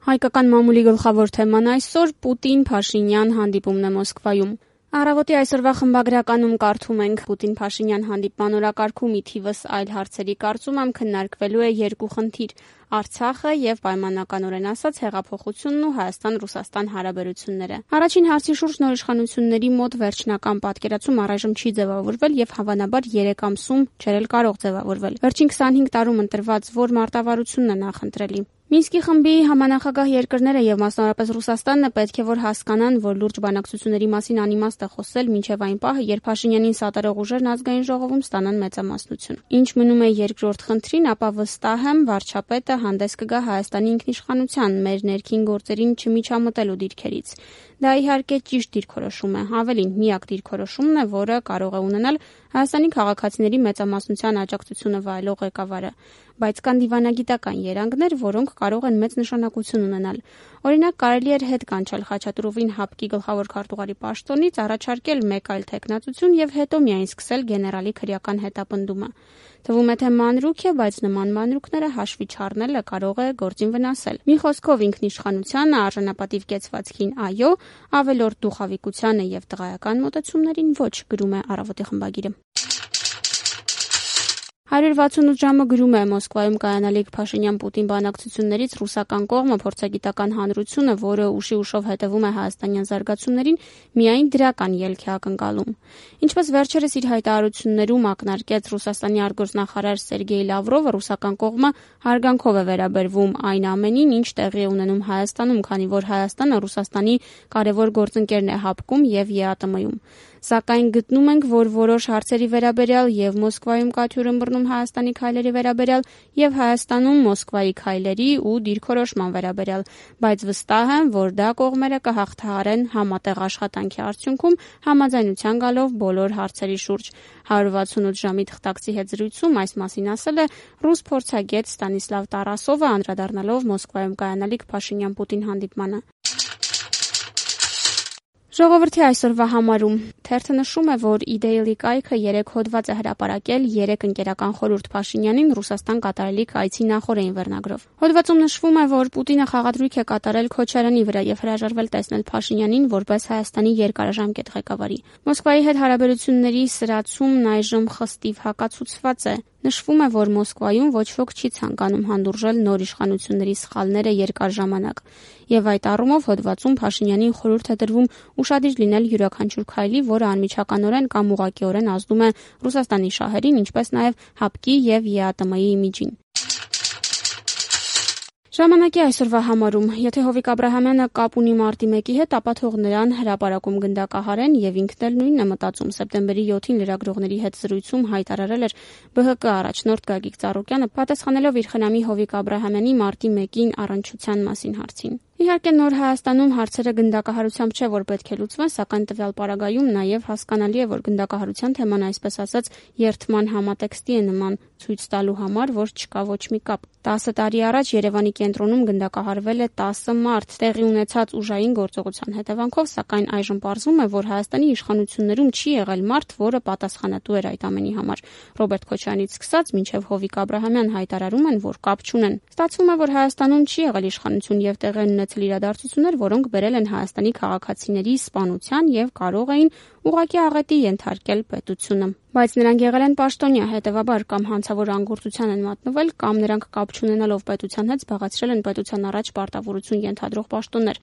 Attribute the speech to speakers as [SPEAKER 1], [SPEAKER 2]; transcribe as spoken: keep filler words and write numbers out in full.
[SPEAKER 1] Հայկական մամուլի գլխավոր թեման այսօր Պուտին-Փաշինյան հանդիպումն է Մոսկվայում։ Առավոտի այսօրվա խմբագրականում կարդում ենք Պուտին-Փաշինյան հանդիպման օրակարգում ի թիվս այլ հարցերի կարծում եմ քննարկվելու է երկու խնդիր՝ Արցախը եւ պայմանականորեն ասած հեղափոխությունն ու Հայաստան-Ռուսաստան հարաբերությունները։ Առաջին հարցի շուրջ նոր իշխանությունների մոտ վերջնական պատկերացում առայժմ չի ձևավորվել եւ հավանաբար երեք ամսում չէր էլ կարող ձևավորվել։ Վերջին քսանհինգ տարում ընտրված որ մարտավարությունն է նախընտրելի։ Մինսկի խմբի համանախագահ երկրները եւ մասնավորապես Ռուսաստանն պետք է որ հասկանան, որ լուրջ բանակցությունների մասին անիմաստ է խոսել մինչեւ այն պահը, երբ Փաշինյանին սատարող ուժերն ազգային ժողովում ստանան մեծամասնություն։ Ինչ մնում է երկրորդ խնդրին, ապա վստահ եմ վարչապետը հանդես կգա Հայաստանի ինքնիշխանության, մեր ներքին գործերին չմիջամտելու դիրքերից։ Դա իհարկե ճիշտ դիրքորոշում է, ավելին միակ դիրքորոշումն է, որը կարող է ունենալ Հայաստանի քաղաքացիների մեծամասնության աջակցությունը վայելող ղեկավարը, բայց կան դիվանագիտական երանգներ, որոնք կարող են մեծ նշանակություն ունենալ։ Օրինակ, կարելի էր հետ կանչել Խաչատուրովին ՀԱՊԿ-ի գլխավոր քարտուղարի պաշտոնից, առաջարկել մեկ այլ թեկնածություն եւ հետո միայն սկսել գեներալի քրեական հետապնդումը։ Թվում է թե մանրուք է, բայց նման մանրուքները հաշվի չառնելը կարող է գործին վնասել։ Մի խոսքով ինքնիշխանությանը, արժանապատիվ կեցվածքին այո, ավելորդ դուխավիկությանը եւ տղայական մոտեցումներին ոչ, գրում է Առավոտի խմբագիրը։ հարյուր վաթսունութ ժամը գրում է Մոսկվայում կայանալիք Փաշինյան-Պուտին բանակցություններից ռուսական կողմը փորձագիտական հանրությունը, որը ուշի ուշով հետևում է հայաստանյան զարգացումներին, միայն դրական ելք է ակնկալում։ Ինչպես վերջերս իր հայտարարություններում ակնարկեց Ռուսաստանի արտգործնախարար Սերգեյ Լավրովը, ռուսական կողմը հարգանքով է վերաբերվում այն ամենին, ինչ տեղի է ունենում Հայաստանում, քանի որ Հայաստանը Ռուսաստանի կարևոր գործընկերն է ՀԱՊԿ-ում եւ ԵԱՏՄ-ում։ Սակայն գտնում ենք, որ որոշ հարցերի վերաբերյալ եւ Մոսկվայում կաթյուր ըմբռնում Հայաստանի քայլերի վերաբերյալ եւ Հայաստանում Մոսկվայի քայլերի ու դիրքորոշման վերաբերյալ, բայց վստահ եմ, որ դա կողմերը կհաղթահարեն համատեղ աշխատանքի արդյունքում համաձայնության գալով բոլոր հարցերի շուրջ։ հարյուր վաթսունութ ժամի թղթակցի հետ զրույցում այս մասին ասել է ռուս փորձագետ Ստանիսլավ Տարասովը, անդրադառնալով Մոսկվայում կայանալիք Փաշինյան-Պուտին հանդիպմանը։ Ժողովրդի այսօրվա համարում թերթը նշում է, որ Իդեիլի կայքը երեք հոդված է հրապարակել երեք ընկերական խորհուրդ Փաշինյանին Ռուսաստան կատարելիք այցի նախօրեին վերնագրով։ Հոդվածում նշվում է, որ Պուտինը խաղադրույք է կատարել Քոչարյանի վրա եւ հրաժարվել տեսնել Փաշինյանին որպես Հայաստանի երկարաժամկետ ղեկավարի։ Մոսկվայի հետ հարաբերությունների սրացումն այժմ խստիվ հակացուցված է։ Նշվում է, որ Մոսկվայում ոչ ոք չի ցանկանում հանդուրժել նոր իշխանությունների սխալները երկար ժամանակ, եւ այդ առումով հոդվածում Փաշինյանին խորհուրդ է տրվում ուշադիր լինել յուրաքանչյուր քայլի, որը անմիջականորեն կամ ուղղակիորեն ազդում է Ռուսաստանի շահերին, ինչպես նաեւ ՀԱՊԿ-ի եւ ԵԱՏՄ-ի իմիջին։ Ժամանակի այսօրվա համարում, եթե Հովիկ Աբրահամյանը կապ ունի մարտի մեկի հետ, ապա թող նրան հրապարակում գնդակահարեն եւ ինքն էլ նույնն է մտածում։ Սեպտեմբերի յոթին լրագրողների հետ զրույցում հայտարարել էր ԲՀԿ առաջնորդ Գագիկ Ծառուկյանը, պատասխանելով իր խնամի Հովիկ Աբրահամյանի մարտի մեկին առնչության մասին հարցին։ Իհարկե նոր Հայաստանում հարցերը գնդակահարությամբ չէ, որ պետք է լուծվեն, սակայն տվյալ պարագայում նաև հասկանալի է, որ գնդակահարության թեման այսպես ասած երթման համատեքստի է նման, ցույց տալու համար, որ չկա ոչ մի կապ։ տասը տարի առաջ Երևանի կենտրոնում գնդակահարվել է տասը մարդ տեղի ունեցած ուժային գործողության հետևանքով, սակայն այժմ պարզվում է, որ Հայաստանի իշխանություններում չի եղել մարդ, որը պատասխանատու էր այդ ամենի համար։ Ռոբերտ Քոչարյանից սկսած մինչև Հովիկ Աբրահամյան հայտարարում են, որ կապ չունեն։ Ստացվում է, որ Հայաստանում չի եղել իշխանություն եւ տեղի ունեցել իրադարձություններ, որոնք բերել են Հայաստանի քաղաքացիների սպանության եւ կարող էին ուղղակի աղետի ենթարկել պետությունը։ Բայց նրանք եղել են պաշտոնյա, հետևաբար կամ հանցավոր անգործության են մատնվել, կամ նրանք կապ չունենալով պետության հետ զբաղեցրել են պետության առաջ պարտավորություն ենթադրող պաշտոններ։